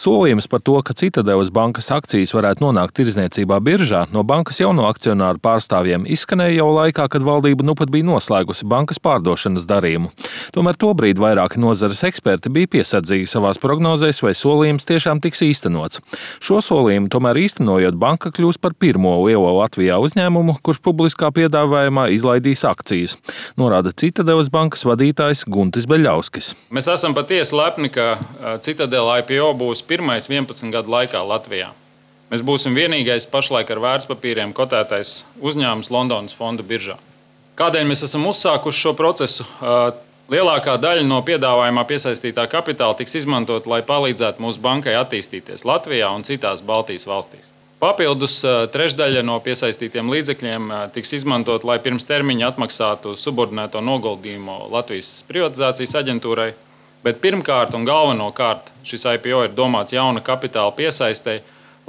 Solījums par to, ka Citadeles bankas akcijas varētu nonākt tirdzniecībā biržā, no bankas jauno akcionāru pārstāvjiem izskanēja jau laikā, kad valdība nu pat bija noslēgusi bankas pārdošanas darījumu. Tomēr tobrīd vairāki nozares eksperti bija piesardzīgi savās prognozēs, vai solījums tiešām tiks īstenots. Šo solījumu tomēr īstenojot, banka kļūs par pirmo lielo Latvijā uzņēmumu, kurš publiskā piedāvājumā izlaidīs akcijas, norāda Citadeles bankas vadītājs Guntis Beļauskis. Mēs esam patiesi lepni, ka Citadele IPO būs pirmais 11 gadu laikā Latvijā. Mēs būsim vienīgais pašlaik ar vērtspapīriem kotētais uzņēmums Londonas fondu biržā. Kādēļ mēs esam uzsākuši šo procesu? Lielākā daļa no piedāvājumā piesaistītā kapitāla tiks izmantot, lai palīdzētu mūsu bankai attīstīties Latvijā un citās Baltijas valstīs. Papildus trešdaļa no piesaistītiem līdzekļiem tiks izmantot, lai pirms termiņa atmaksātu subordinēto noguldījumu Latvijas privatizācijas aģentūrai. Bet pirmkārt un galvenokārt šis IPO ir domāts jauna kapitāla piesaistei,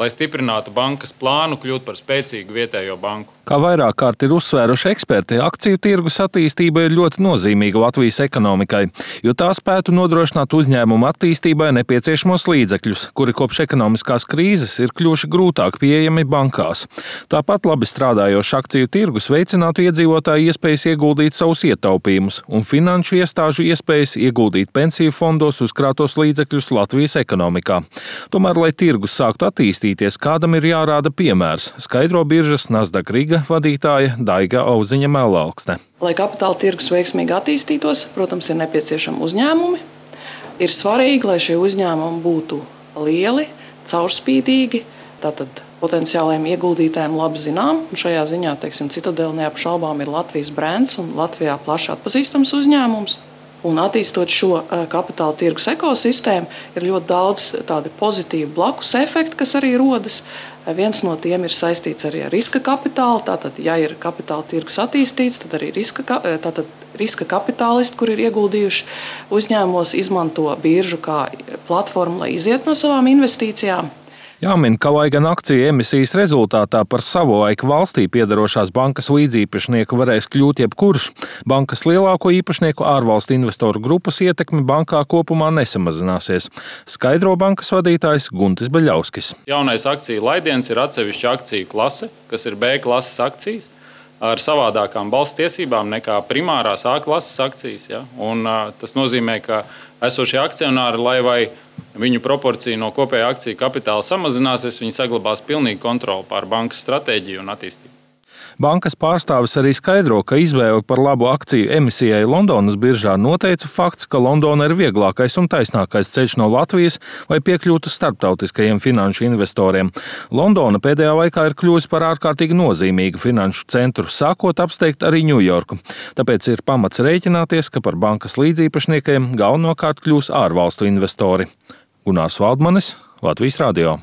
lai stiprinātu bankas plānu kļūt par spēcīgu vietējo banku. Kā vairāk kārt ir uzsvēruši eksperti, akciju tirgus attīstība ir ļoti nozīmīga Latvijas ekonomikai, jo tā spētu nodrošināt uzņēmumu attīstībai nepieciešamos līdzekļus, kuri kopš ekonomiskās krīzes ir kļuvuši grūtāk pieejami bankās. Tāpat labi strādājošs akciju tirgus veicinātu iedzīvotāju iespējas ieguldīt savus ietaupījumus un finanšu iestāžu iespējas ieguldīt pensiju fondos uzkrātos līdzekļus Latvijas ekonomikā. Tomēr, lai tirgus sāktu attīstīties, kādam ir jārāda piemērs, skaidro biržas Nasdaq Riga vadītāja Daiga Auziņa-Mellalksne. Lai kapitāla tirgus veiksmīgi attīstītos, protams, ir nepieciešami uzņēmumi. Ir svarīgi, lai šie uzņēmumi būtu lieli, caurspīdīgi, tātad potenciālajiem ieguldītājiem labi zinām. Un šajā ziņā, Citadele neapšaubām ir Latvijas brands un Latvijā plaši atpazīstams uzņēmums. Un attīstot šo kapitāla tirgus ekosistēmu, ir ļoti daudz tādu pozitīvu blakus efektu, kas arī rodas. Viens no tiem ir saistīts arī ar riska kapitālu. Tātad, ja ir kapitāla tirgus attīstīts, tad arī riska kapitālisti, kur ir ieguldījuši uzņēmumos, izmanto biržu kā platformu, lai iziet no savām investīcijām. Jāmin, ka lai gan akciju emisijas rezultātā par savulaik valstī piederošās bankas līdziepašnieku varēs kļūt jebkurš, bankas lielāko īpašnieku ārvalstu investoru grupas ietekme bankā kopumā nesamazināsies, skaidro bankas vadītājs Guntis Beļauskis. Jaunais akciju laidiens ir atsevišķa akciju klase, kas ir B klases akcijas, ar savādākām balss tiesībām nekā primārās A klases akcijas. Ja? Un tas nozīmē, ka esošie akcionāri, lai vai viņu proporcija no kopējā akciju kapitāla samazināsies, viņi saglabās pilnīgu kontroli pār bankas stratēģiju un attīstību. Bankas pārstāvis arī skaidro, ka izvēli par labu akciju emisijai Londonas biržā noteica fakts, ka Londona ir vieglākais un taisnākais ceļš no Latvijas, lai piekļūtu starptautiskajiem finanšu investoriem. Londona pēdējā laikā ir kļuvusi par ārkārtīgi nozīmīgu finanšu centru, sākot apsteigt arī Ņujorku. Tāpēc ir pamats rēķināties, ka par bankas līdziepašniekiem galvenokārt kļūs ārvalstu investori. Gunārs Valdmanis, Latvijas radio.